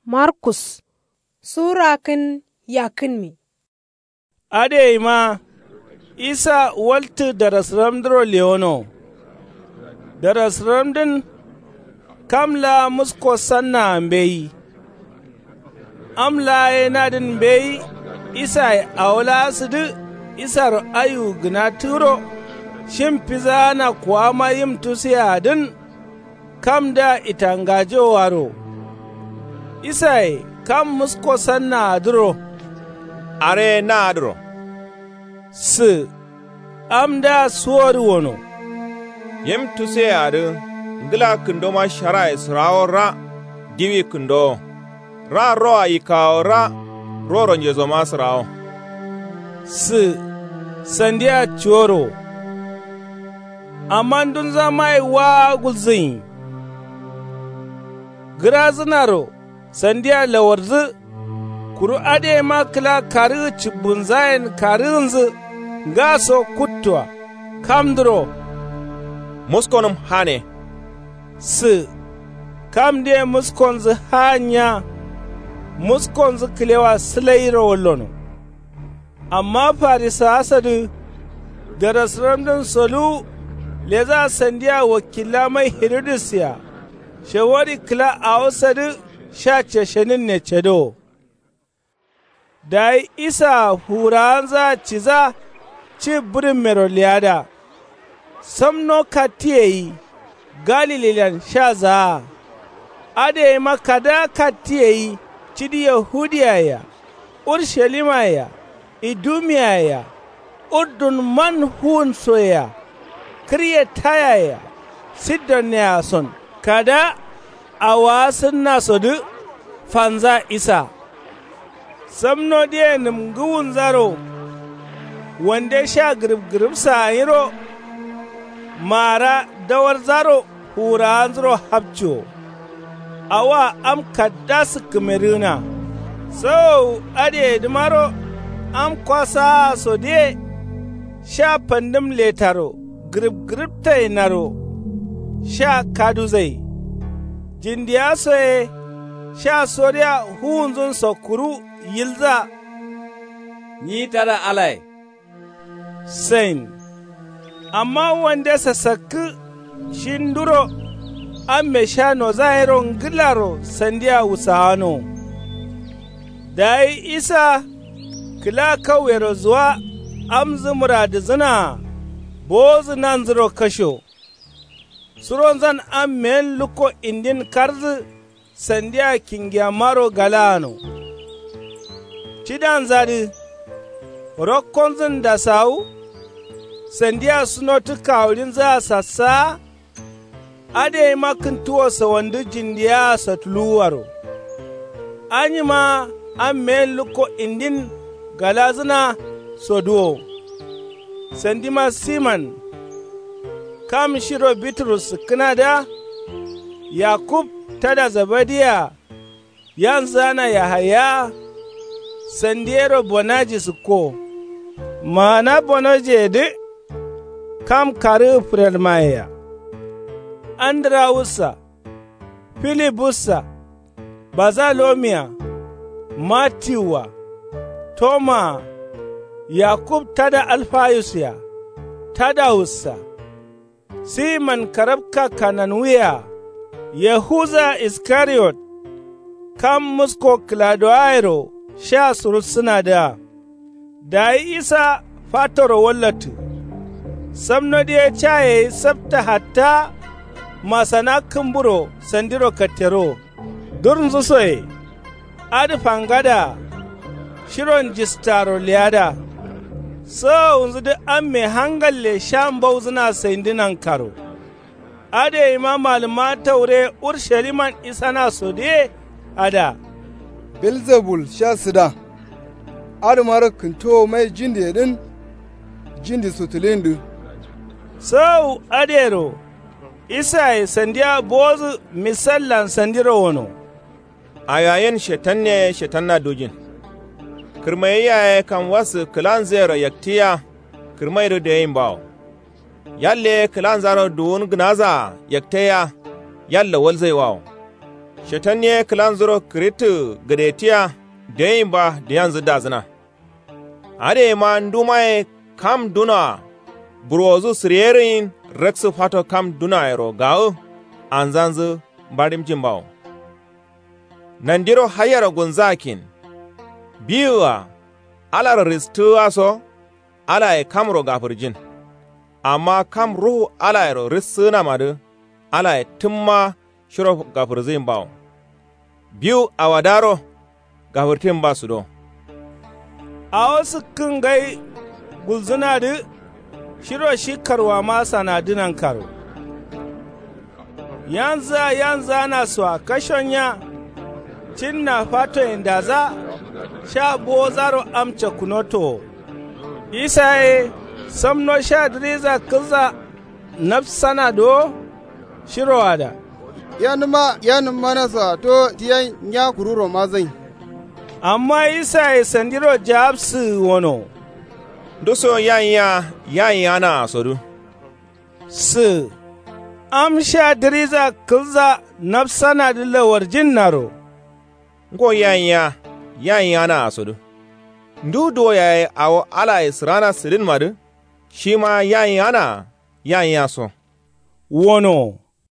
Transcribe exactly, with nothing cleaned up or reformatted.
Markus sura kǝn yakkǝnmi. Adǝyeima isa waltǝ darasǝramdǝro lewono. Darasǝramdǝn kam laa musko sannaa mbeyi. Am laa ye nadǝn mbeyi. Isaye awo laa sǝdǝ isaro aiwu gǝna tǝgǝro. Shim fizaana kuwama yim tusuyeadǝn kamdǝa itangajewoaro. Isaye kam musko sannaadǝro. Are ye naadǝro sǝ. Amdǝa suwodǝ wono. Yim tusuyeadǝ ngǝla kǝndoma sharaye sǝrawo ra. Diwi kǝndowo ra roa yikkawo ra. Roro njezoma sǝrawo sǝ. Sandia cuworo amma ndunzamaye waa gulzǝnyi. Gǝrazǝnaro sandia lawarjǝ. Kuru adǝyeima kǝla karǝgǝ cǝbbunzayen karǝgǝnzǝ. Ngaso kuttoa kamdǝro muskonǝm hane sǝ. Kamdǝye muskonzǝ haanya. Muskonzǝ kǝlewa sǝlairo wallono. Amma farisawasadǝ darasǝramdǝn soluwu. Leza sandia wakilla mai hiridus-a shawari kǝla awosadǝ. Sha ceshenǝnne cedowo. Dayi isaa fuwurawanzaa ciza ci bǝrǝmmero leyada. Samno kattiyeyi galililan sha zaa. Adǝyeima kada kattiyeyi cidi yahudiyaye-a urshalimmaye-a idumiyaye-a urdun man fuwunsoye-a kǝryetayaye-a sidonne-a son kada. Awowa sǝnnasodǝ fanza isa. Samnodǝye nǝmgǝwunzaro wande sha gǝrǝbgǝrǝbsa gǝnyiro. Maara dawarzaro fuwurawanzuro hapciwo. Awoa am kadda sǝkkǝmedǝgǝna. Sawowu adǝyedǝmaro am kwasaasodǝye sha fandǝm letaro gǝrǝbgǝrǝbtayenaro sha kaduzai. Jindiyaso ye sha soriya fuwunzunso kuru yilza. Nyi tada alaye sain. Amma wande sasakkǝ shi nduro amme sha noza yero ngǝlaro sandia wusawano. Dayi isa kǝla kauyero zuwa. Amzǝ mǝradǝzǝnaa bowozǝ nanzǝro kasho. Suronzan ammeyen lukko indin karǝdǝ sandia kingiyammaro galaano. Cidanzadǝ rokkonzǝn dasawu. Sandia sunotǝ kawuɍinzǝa sassawa. Adǝyeima kǝntuwo sawandǝ jindiyaa satuluwuaro. Anyima ammeyen lukko indin galazǝna soduwo. Sandima siman kam shiro biturus sǝkkǝnadǝa. Yakub tada zebediye-a yanzǝgana yahaya-a. Sandi yero bonaji sǝkko. Maana bonojiyedǝ kam karǝgǝ fǝrelmayea. Andirawus-a filibussa. Bazalomiya. Matiwu-a. Tomaa. Yakub tada alfayus-a. Tadawus-a. Siman karabka kananwiye-a. Yahuza iskariyot. Kam musko kǝladowayero sha surussǝnadǝa. Dayi isa fatoro wallattǝ. Samnodǝ ye ca yeyi sabta hatta. Masana kǝmburo sandiro katterowo. Durnzǝ soye adǝ fangadaa. Shiron jistaro leyada. Sawawunzǝdǝ amme hangalle sha mbauzǝna saindǝ nankaro. Adǝyeima malǝmma taure ursaliman isanasodǝye ada. Belzebul sha sǝda. Adǝmaro kǝntowo mai jindiyedǝn jindi sutuluyindǝ. Sawawu adǝyero isaye sandiya bowodǝ misallan sandiro wono. Awiyayen shetanne ye shetanna dujin. Kǝrmayi yaye kam wassǝ kǝlanzǝyero yaktǝyiya. Kǝrmaidǝ dayinbawo. Yalle ye kǝlanzaro duwun gǝnazaa yaktaiya. Yallo walzaiwawo. Shetan ye kǝlanzuro kǝrittǝ gǝdetiya. Dioyinba diyanzǝ dazǝna. Adǝ yema ndumaye kam dunoa burwozu sǝriyerǝyin raksǝ fato kam dunoayero gawu anzanzǝ mbaɍimjin bawo. Nandiro haiyero gulnzǝ akkin. Biwu-a alaro ristǝgǝa so alaye kamro gafǝrjin. Amma kam ruhu alayero rissǝgǝnamadǝ alaye tǝmma shiro gafǝrzǝyin bawo. Biwu awadaro gafǝrtin ba sudo. Awo sǝkkǝn ngai gulzǝnadǝ shiro shi karwama sanadǝ nankaro. Yanzǝa yanzǝana soa kashonya. Cinna fatoyendadza sha bowozaro am cakkunotowo. Isaye samno sha dǝriza kǝlza nafsanadǝ wo. Shiroada yanǝma yanǝmma nasoa to tiyan nya kururo mazai. Amma isaye sandiro jawabsǝgǝ wono. Nduso yayiya yayiyanaa sodǝ. Sǝ am sha dǝriza kǝlza nafsanadǝ lawarjinnaro. Ngo yayiya yayiyanaa sodǝ. Ndu duwo yaye awo alaye sǝrana sǝdinmadǝ shima yayiyanaa yayiya so. Wono.